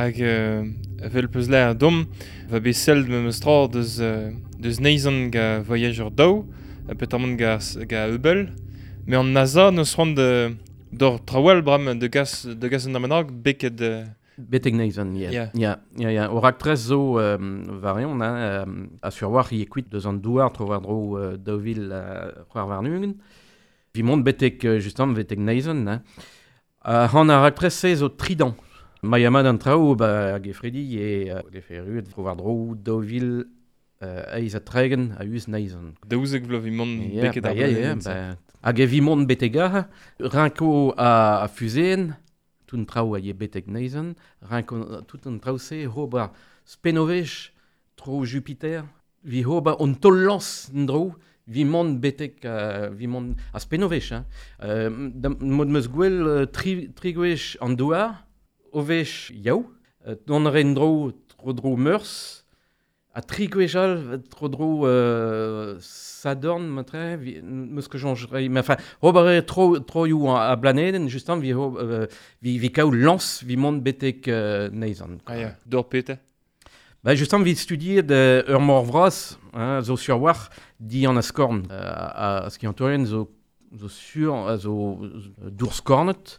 Hag evel peus lâret domp, va bet sell memes tra deus, deus Neizhan ga Voyager 2, petamant ga, ga Hubble. Met an NASA n'eus c'hoant d'or traoù all bremañ da gas, da gas un dra bennak beket... Betek Neizhan, ya. Yeah. Ya, ya, ya. O raktres zo war eon, hein, a sur war e kuit deus an douar tro-war-dro 2024. Vi mont betek, justement, betek Neizhan, hein. Han ar raktres-se zo tridant. Ma ya mat an traoù, ba, hag efredi e vefe erruet tro-war-dro 2038 a-us Neizhan. 12 vloaz vi mont Ya, beket ba, ar ya, ya, blanedenn-se. ba, hag e vi mont betek aze, rinko a fuzeen, tout an traoù a ye betek Neizhan, rinko tout an traoù-se ober spenovech tro Jupiter, vi ober an taol-lañs en-dro, vi mont betek, vi mont a spenovech, hein. Mod meus gwell tri, tri gwech an douar, o wech yaou, dont a ren dro tro-dro Meurzh, ha tri gwech all tro-dro Sadorn, matre, vi, meus ket soñj rei, mais enfin, ober eo tro, troioù a blanedenn, justement, vi, vi, vi kaout lañs, vi mont betek Neizhan. Ah ya, d'or pete. Ba, justement, vi studiet ur mor vras, hein, zo sur war, di an askorn. A skiantourien zo, zo sur, a zo dour skornet,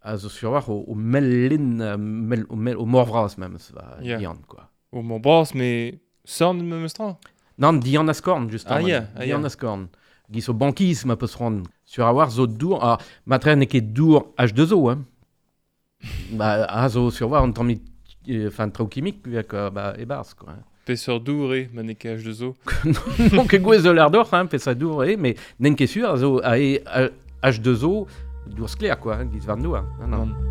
a zo sur war o, o mel-lin, mel, o, mel, o mor vras memes, va, Ya. dian, quoi. O mor bras, mais sorn memes tra. Nan, dian askorn, justement. Ah, ya, ah, Dian ya. askorn. Giz o bankiz, ma peus c'hoant. Sur a war zo dour, ah, matre n'eo ket dour H2O, hein. Ba, a zo sur war an tammig, enfin, traoù kimik, quoi, ba, e-barzh, quoi. hein. Peseurt dour eo, ma n'eo ket H2O. Non ket gwez eul ardoc'h, hein, peseurt dour eo, mais n'en ket sûr, a zo a e, a, H2O, dour sklaer, quoi, hein, giz war an douar. Non, non. Nann.